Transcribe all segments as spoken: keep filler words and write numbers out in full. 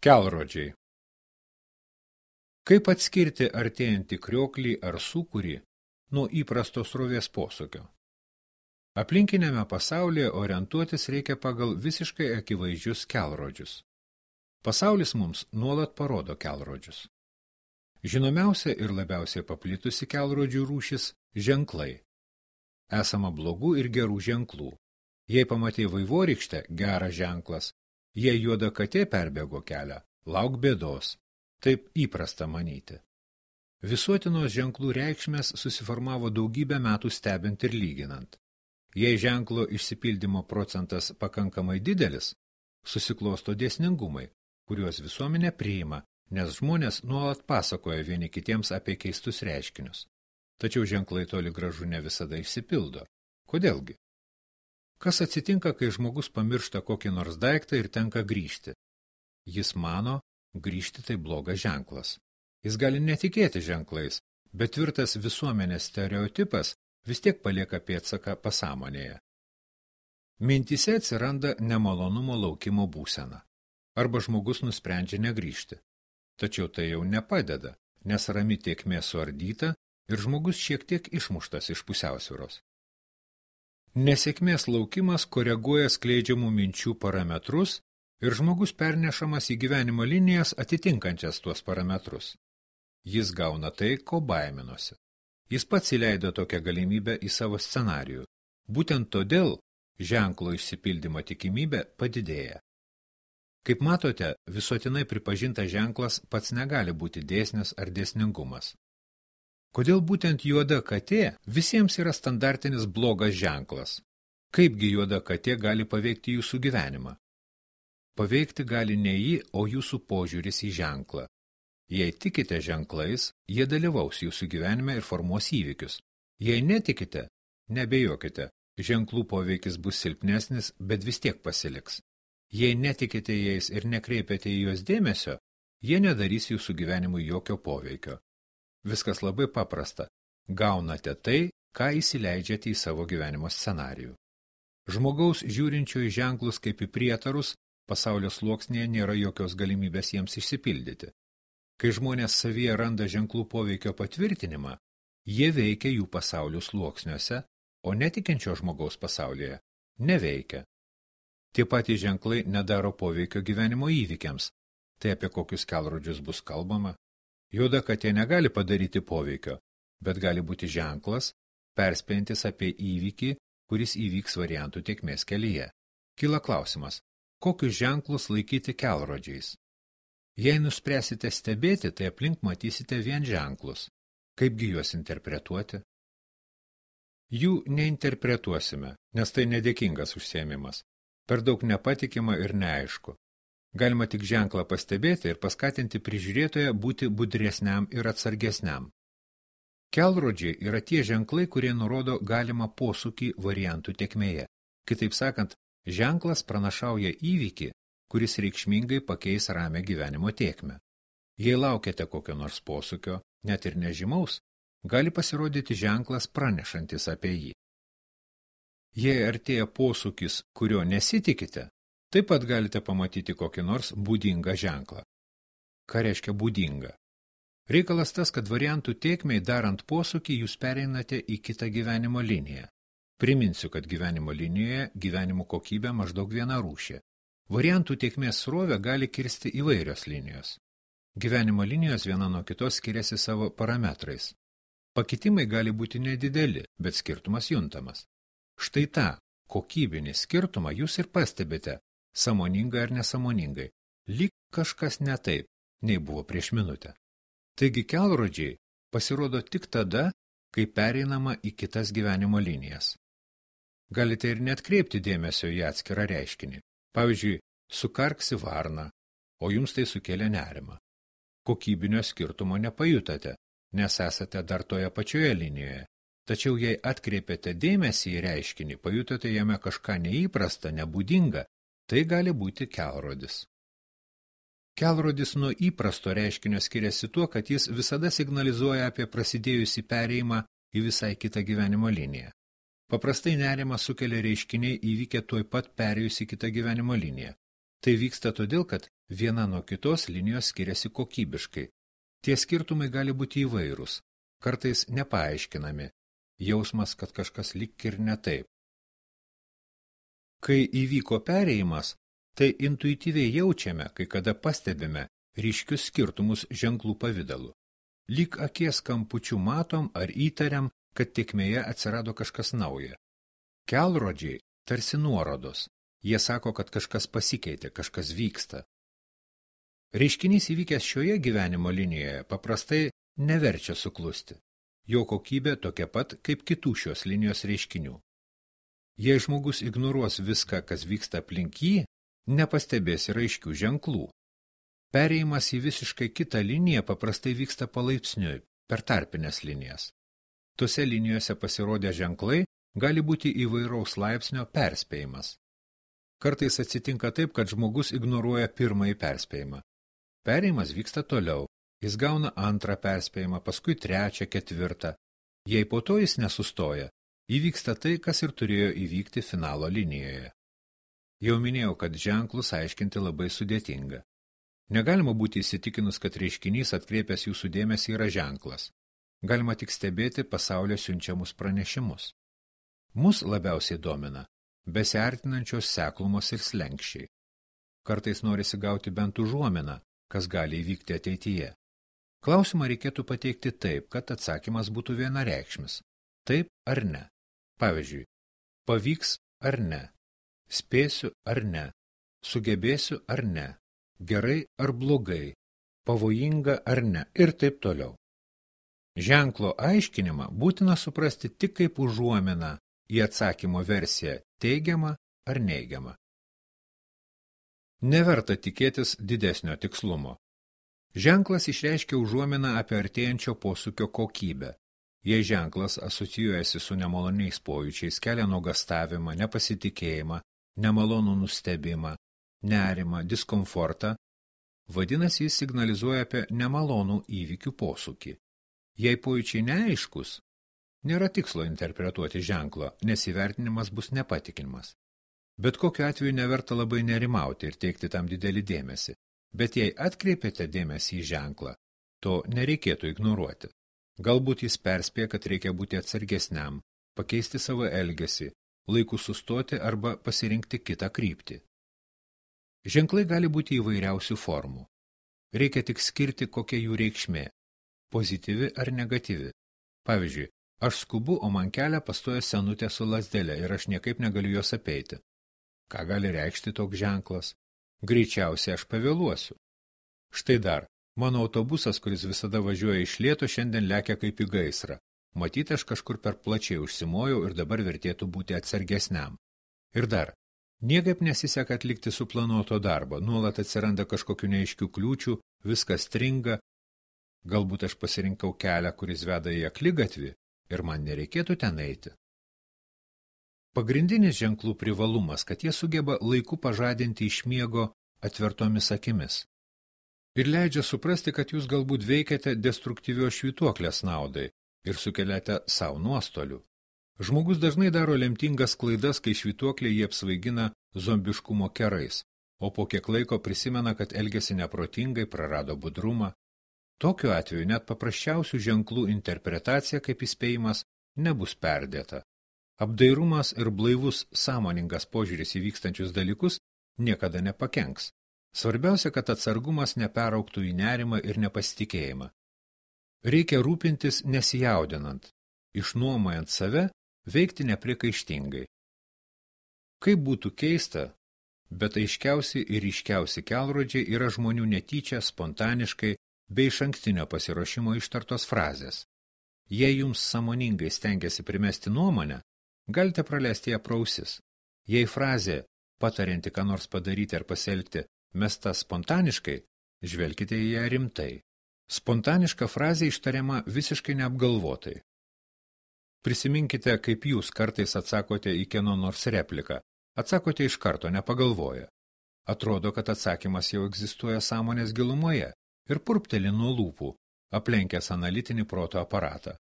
Kelrodžiai. Kaip atskirti artėjantį krioklį ar sūkurį nuo įprasto srovės posūkio? Aplinkiniame pasaulyje orientuotis reikia pagal visiškai akivaizdžius kelrodžius. Pasaulis mums nuolat parodo kelrodžius. Žinomiausia ir labiausiai paplitusi kelrodžių rūšis – ženklai. Esama blogų ir gerų ženklų. Jei pamatei vaivorykštę – geras ženklas. Jei juoda katė perbėgo kelią, lauk bėdos. Taip įprasta manyti. Visuotinos ženklų reikšmės susiformavo daugybę metų stebint ir lyginant. Jei ženklo išsipildymo procentas pakankamai didelis, susiklosto dėsningumai, kuriuos visuomenė priima, nes žmonės nuolat pasakoja vieni kitiems apie keistus reiškinius. Tačiau ženklai toli gražu ne visada išsipildo. Kodėlgi? Kas atsitinka, kai žmogus pamiršta kokį nors daiktą ir tenka grįžti? Jis mano, grįžti tai blogas ženklas. Jis gali netikėti ženklais, bet tvirtas visuomenės stereotipas vis tiek palieka pėdsaką pasąmonėje. Mintyse atsiranda nemalonumo laukimo būsena. Arba žmogus nusprendžia negrįžti. Tačiau tai jau nepadeda, nes rami tėkmė suardyta ir žmogus šiek tiek išmuštas iš pusiausvyros. Nesėkmės laukimas koreguoja skleidžiamų minčių parametrus ir žmogus pernešamas į gyvenimo linijas atitinkančias tuos parametrus. Jis gauna tai, ko baiminosi. Jis pats įleido tokią galimybę į savo scenarijų. Būtent todėl ženklo išsipildymo tikimybė padidėja. Kaip matote, visuotinai pripažintas ženklas pats negali būti dėsnis ar dėsningumas. Kodėl būtent juoda katė visiems yra standartinis blogas ženklas? Kaipgi juoda katė gali paveikti jūsų gyvenimą? Paveikti gali ne jį, o jūsų požiūris į ženklą. Jei tikite ženklais, jie dalyvaus jūsų gyvenime ir formuos įvykius. Jei netikite, nebejokite, ženklų poveikis bus silpnesnis, bet vis tiek pasiliks. Jei netikite jais ir nekreipiate į juos dėmesio, jie nedarys jūsų gyvenimui jokio poveikio. Viskas labai paprasta. Gaunate tai, ką įsileidžiate į savo gyvenimo scenarijų. Žmogaus žiūrinčio į ženklus kaip į prietarus, pasaulio sluoksnėje nėra jokios galimybės jiems išsipildyti. Kai žmonės savyje randa ženklų poveikio patvirtinimą, jie veikia jų pasaulio sluoksniuose, o netikinčio žmogaus pasaulyje neveikia. Tie patys ženklai nedaro poveikio gyvenimo įvykiams. Tai apie kokius kelrodžius bus kalbama? Juoda katė negali padaryti poveikio, bet gali būti ženklas, perspėjantis apie įvykį, kuris įvyks variantų tėkmės kelyje. Kyla klausimas, kokius ženklus laikyti kelrodžiais? Jei nuspręsite stebėti, tai aplink matysite vien ženklus. Kaipgi juos interpretuoti? Jų neinterpretuosime, nes tai nedėkingas užsiėmimas. Per daug nepatikima ir neaišku. Galima tik ženklą pastebėti ir paskatinti prižiūrėtoją būti budresniam ir atsargesniam. Kelrodžiai yra tie ženklai, kurie nurodo galimą posūkį variantų tėkmėje. Kitaip sakant, ženklas pranašauja įvykį, kuris reikšmingai pakeis ramią gyvenimo tėkmę. Jei laukiate kokio nors posūkio, net ir nežymaus, gali pasirodyti ženklas pranešantis apie jį. Jei artėja posūkis, kurio nesitikite, taip pat galite pamatyti kokį nors būdingą ženklą. Ką reiškia būdinga? Reikalas tas, kad variantų tėkmei darant posūkį jūs pereinate į kitą gyvenimo liniją. Priminsiu, kad gyvenimo linijoje gyvenimo kokybė maždaug viena rūšė. Variantų tėkmės srovę gali kirsti įvairios linijos. Gyvenimo linijos viena nuo kitos skiriasi savo parametrais. Pakitimai gali būti nedideli, bet skirtumas juntamas. Štai tą kokybinį skirtumą jūs ir pastebite, sąmoningai ar nesąmoningai, lyg kažkas ne taip, nei buvo prieš minutę. Taigi kelrodžiai pasirodo tik tada, kai pereinama į kitas gyvenimo linijas. Galite ir neatkreipti dėmesio į atskirą reiškinį. Pavyzdžiui, sukarksi varna, o jums tai sukėlė nerimą. Kokybinio skirtumo nepajutate, nes esate dar toje pačioje linijoje. Tačiau jei atkreipiate dėmesį į reiškinį, pajutote jame kažką neįprasta, nebūdinga, tai gali būti kelrodis. Kelrodis nuo įprasto reiškinio skiriasi tuo, kad jis visada signalizuoja apie prasidėjusį perėjimą į visai kitą gyvenimo liniją. Paprastai nerimą sukelia reiškiniai įvykę tuoj pat perėjus į kitą gyvenimo liniją. Tai vyksta todėl, kad viena nuo kitos linijos skiriasi kokybiškai. Tie skirtumai gali būti įvairūs, kartais nepaaiškinami, jausmas, kad kažkas lyg ir ne taip. Kai įvyko perėjimas, tai intuityviai jaučiame, kai kada pastebime ryškius skirtumus ženklų pavidalu. Lyg akies kampučių matom ar įtariam, kad tėkmėje atsirado kažkas nauja. Kelrodžiai tarsi nuorodos. Jie sako, kad kažkas pasikeitė, kažkas vyksta. Reiškinys įvykęs šioje gyvenimo linijoje paprastai neverčia suklusti. Jo kokybė tokia pat kaip kitų šios linijos reiškinių. Jei žmogus ignoruos viską, kas vyksta aplink jį, nepastebės ir aiškių ženklų. Perėjimas į visiškai kitą liniją paprastai vyksta palaipsniui, per tarpines linijas. Tose linijose pasirodę ženklai gali būti įvairaus laipsnio perspėjimas. Kartais atsitinka taip, kad žmogus ignoruoja pirmąjį perspėjimą. Perėjimas vyksta toliau, jis gauna antrą perspėjimą, paskui trečią, ketvirtą. Jei po to jis nesustoja, įvyksta tai, kas ir turėjo įvykti finalo linijoje. Jau minėjau, kad ženklus aiškinti labai sudėtinga. Negalima būti įsitikinus, kad reiškinys atkreipęs jūsų dėmesį yra ženklas. Galima tik stebėti pasaulio siunčiamus pranešimus. Mus labiausiai domina besiartinančios seklumos ir slenkščiai. Kartais norisi gauti bent užuominą, kas gali įvykti ateityje. Klausimą reikėtų pateikti taip, kad atsakymas būtų vienareikšmis. Taip ar ne. Pavyzdžiui, pavyks ar ne, spėsiu ar ne, sugebėsiu ar ne, gerai ar blogai, pavojinga ar ne ir taip toliau. Ženklo aiškinimą būtina suprasti tik kaip užuominą į atsakymo versiją teigiamą ar neigiamą. Neverta tikėtis didesnio tikslumo. Ženklas išreiškia užuominą apie artėjančio posūkio kokybę. Jei ženklas asocijuojasi su nemaloniais pojūčiais, kelia nuogąstavimą, nepasitikėjimą, nemalonų nustebimą, nerimą, diskomfortą, vadinasi, jis signalizuoja apie nemalonų įvykių posūkį. Jei pojūčiai neaiškus, nėra tikslo interpretuoti ženklo, nes įvertinimas bus nepatikimas. Bet kokiu atveju neverta labai nerimauti ir teikti tam didelį dėmesį. Bet jei atkreipiate dėmesį į ženklą, to nereikėtų ignoruoti. Galbūt jis perspėja, kad reikia būti atsargesniam, pakeisti savo elgesį, laiku sustoti arba pasirinkti kitą kryptį. Ženklai gali būti įvairiausių formų. Reikia tik skirti, kokia jų reikšmė – pozityvi ar negatyvi. Pavyzdžiui, aš skubu, o man kelią pastoja senutė su lazdele ir aš niekaip negaliu jos apeiti. Ką gali reikšti toks ženklas? Greičiausiai aš pavėluosiu. Štai dar, mano autobusas, kuris visada važiuoja iš lėto, šiandien lekia kaip į gaisrą. Matyt, aš kažkur per plačiai užsimojau ir dabar vertėtų būti atsargesniam. Ir dar, niekaip nesiseka atlikti suplanuoto darbo, nuolat atsiranda kažkokių neaiškių kliūčių, viskas stringa. Galbūt aš pasirinkau kelią, kuris veda į akligatvį ir man nereikėtų ten eiti. Pagrindinis ženklų privalumas, kad jie sugeba laiku pažadinti iš miego atvertomis akimis. Ir leidžia suprasti, kad jūs galbūt veikiate destruktyvios švytuoklės naudai ir sukeliate savo nuostolių. Žmogus dažnai daro lemtingas klaidas, kai švytuoklė jį apsvaigina zombiškumo kerais, o po kiek laiko prisimena, kad elgėsi neprotingai, prarado budrumą. Tokiu atveju net paprasčiausių ženklų interpretacija kaip įspėjimas nebus perdėta. Apdairumas ir blaivus sąmoningas požiūris į vykstančius dalykus niekada nepakenks. Svarbiausia, kad atsargumas neperauktų į nerimą ir nepasitikėjimą. Reikia rūpintis nesijaudinant, išnuomojant save, veikti nepriekaištingai. Kaip būtų keista, bet aiškiausi ir ryškiausi kelrodžiai yra žmonių netyčia, spontaniškai, bei išankstinio pasiruošimo ištartos frazės. Jei jums sąmoningai stengiasi primesti nuomonę, galite praleisti ją pro ausis. Jei frazė, patarianti ką nors padaryti ar pasielgti, mesta spontaniškai, žvelkite į ją rimtai. Spontaniška frazė ištariama visiškai neapgalvotai. Prisiminkite, kaip jūs kartais atsakote į kieno nors repliką. Atsakote iš karto, nepagalvoję. Atrodo, kad atsakymas jau egzistuoja sąmonės gilumoje ir purpteli nuo lūpų, aplenkęs analitinį proto aparatą.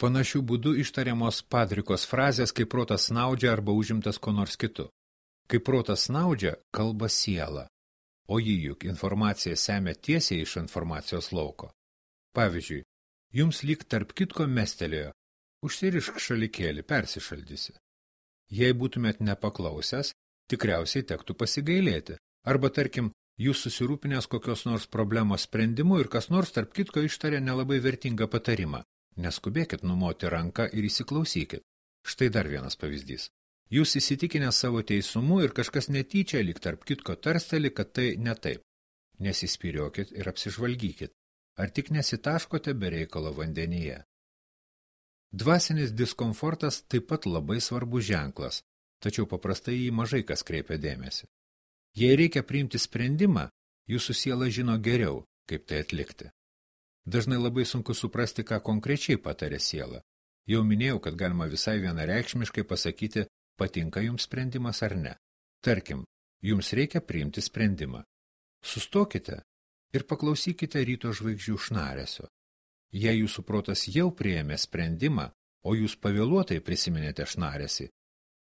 Panašių būdų ištariamos padrikos frazės, kai protas snaudžia arba užimtas ko nors kitu. Kai protas snaudžia, kalba siela, o ji juk informaciją semia tiesiai iš informacijos lauko. Pavyzdžiui, jums lyg tarp kitko mestelėjo, užsirišk šalikėlį, persišaldysi. Jei būtumėt nepaklausęs, tikriausiai tektų pasigailėti, arba tarkim, jūs susirūpinęs kokios nors problemos sprendimu ir kas nors tarp kitko ištarė nelabai vertingą patarimą. Neskubėkit numoti ranką ir įsiklausykit. Štai dar vienas pavyzdys. Jūs įsitikinę savo teisumu ir kažkas netyčia lyg tarp kitko tarsteli, kad tai ne taip. Nesispyriokit ir apsižvalgykit. Ar tik nesitaškote be reikalo vandenyje? Dvasinis diskomfortas taip pat labai svarbus ženklas, tačiau paprastai jį mažai kas kreipia dėmesį. Jei reikia priimti sprendimą, jūsų siela žino geriau, kaip tai atlikti. Dažnai labai sunku suprasti, ką konkrečiai patarė siela. Jau minėjau, kad galima visai vienareikšmiškai pasakyti, patinka jums sprendimas ar ne. Tarkim, jums reikia priimti sprendimą. Sustokite ir paklausykite ryto žvaigždžių šnaresio. Jei jūsų protas jau priėmė sprendimą, o jūs pavėluotai prisiminėte šnaresį,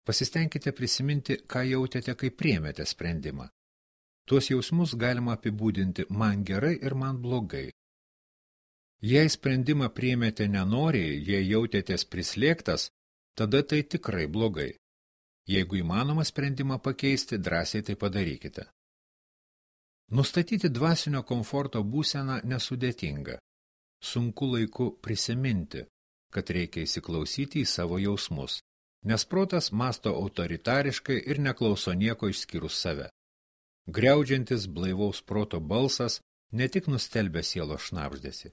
pasistengkite prisiminti, ką jautėte, kai priėmėte sprendimą. Tuos jausmus galima apibūdinti man gerai ir man blogai. Jei sprendimą priėmėte nenoriai, jei jautėtės prislėgtas, tada tai tikrai blogai. Jeigu įmanoma sprendimą pakeisti, drąsiai tai padarykite. Nustatyti dvasinio komforto būseną nesudėtinga. Sunku laiku prisiminti, kad reikia įsiklausyti į savo jausmus, nes protas masto autoritariškai ir neklauso nieko išskyrus save. Griaudžiantis blaivaus proto balsas ne tik nustelbia sielos šnabždesį.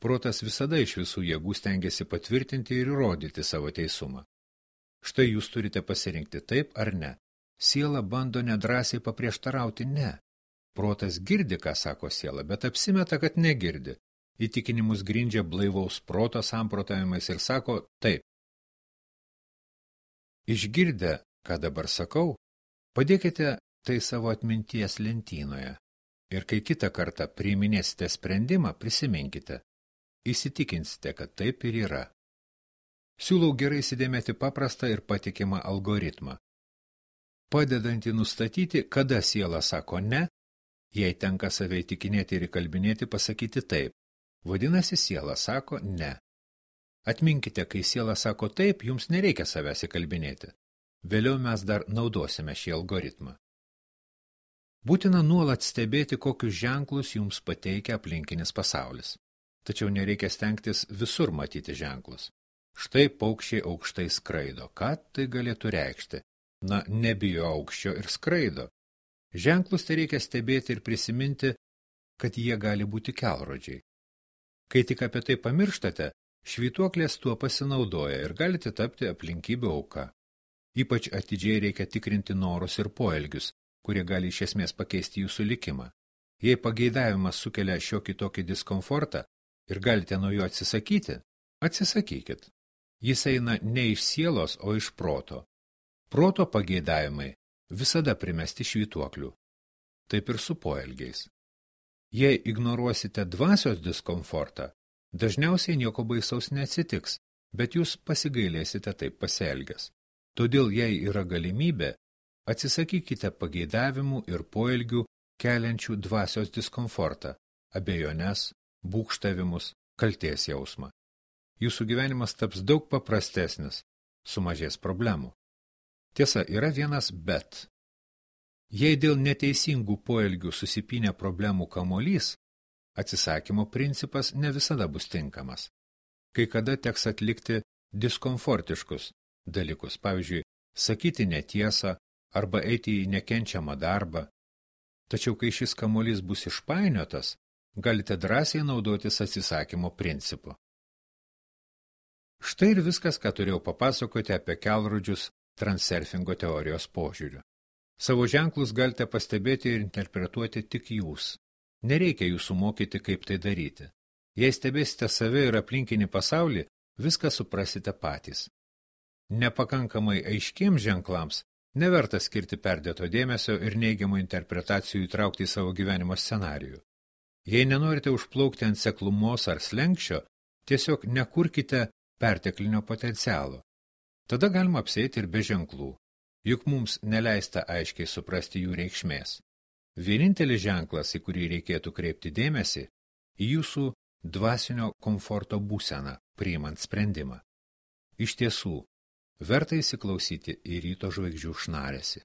Protas visada iš visų jėgų stengiasi patvirtinti ir įrodyti savo teisumą. Štai jūs turite pasirinkti taip ar ne. Siela bando nedrąsiai paprieštarauti ne. Protas girdi, ką sako siela, bet apsimeta, kad negirdi. Įtikinimus grindžia blaivaus proto samprotavimais ir sako taip. Išgirdę, ką dabar sakau, padėkite tai savo atminties lentynoje. Ir kai kitą kartą priiminėsite sprendimą, prisiminkite. Įsitikinsite, kad taip ir yra. Siūlau gerai įsidėmėti paprastą ir patikimą algoritmą. Padedantį nustatyti, kada siela sako ne, jei tenka save įtikinėti ir įkalbinėti pasakyti taip. Vadinasi, siela sako ne. Atminkite, kai siela sako taip, jums nereikia savęs įkalbinėti. Vėliau mes dar naudosime šį algoritmą. Būtina nuolat stebėti, kokius ženklus jums pateikia aplinkinis pasaulis. Tačiau nereikia stengtis visur matyti ženklus. Štai paukščiai aukštai skraido. Ką tai galėtų reikšti? Na, nebijo aukščio ir skraido. Ženklus tai reikia stebėti ir prisiminti, kad jie gali būti kelrodžiai. Kai tik apie tai pamirštate, švytuoklės tuo pasinaudoja ir galite tapti aplinkybių auka. Ypač atidžiai reikia tikrinti norus ir poelgius, kurie gali iš esmės pakeisti jūsų likimą. Jei pageidavimas sukelia šiokį tokį diskomfortą ir galite nuo jo atsisakyti, atsisakykit. Jis eina ne iš sielos, o iš proto. Proto pageidavimai visada primesti švytuoklių. Taip ir su poelgiais. Jei ignoruosite dvasios diskomfortą, dažniausiai nieko baisaus neatsitiks, bet jūs pasigailėsite taip pasielgęs. Todėl, jei yra galimybė, atsisakykite pageidavimų ir poelgių keliančių dvasios diskomfortą, abejones, būgštavimus, kaltės jausmą. Jūsų gyvenimas taps daug paprastesnis, sumažės problemų. Tiesa, yra vienas bet. Jei dėl neteisingų poelgių susipynė problemų kamuolys, atsisakymo principas ne visada bus tinkamas. Kai kada teks atlikti diskomfortiškus dalykus, pavyzdžiui, sakyti netiesą arba eiti į nekenčiamą darbą. Tačiau, kai šis kamuolys bus išpainiotas, galite drąsiai naudotis atsisakymo principu. Štai ir viskas, ką turėjau papasakoti apie kelrodžius transurfingo teorijos požiūriu. Savo ženklus galite pastebėti ir interpretuoti tik jūs. Nereikia jūsų mokyti, kaip tai daryti. Jei stebėsite save ir aplinkinį pasaulį, viską suprasite patys. Nepakankamai aiškiems ženklams neverta skirti perdėto dėmesio ir neigiamų interpretacijų įtraukti į savo gyvenimo scenarijų. Jei nenorite užplaukti ant seklumos ar slenkščio, tiesiog nekurkite perteklinio potencialo. Tada galima apsėti ir be ženklų. juk mums neleista aiškiai suprasti jų reikšmės. Vienintelis ženklas, į kurį reikėtų kreipti dėmesį, į jūsų dvasinio komforto būseną, priimant sprendimą. Iš tiesų, verta įsiklausyti į ryto žvaigždžių šnarėsi.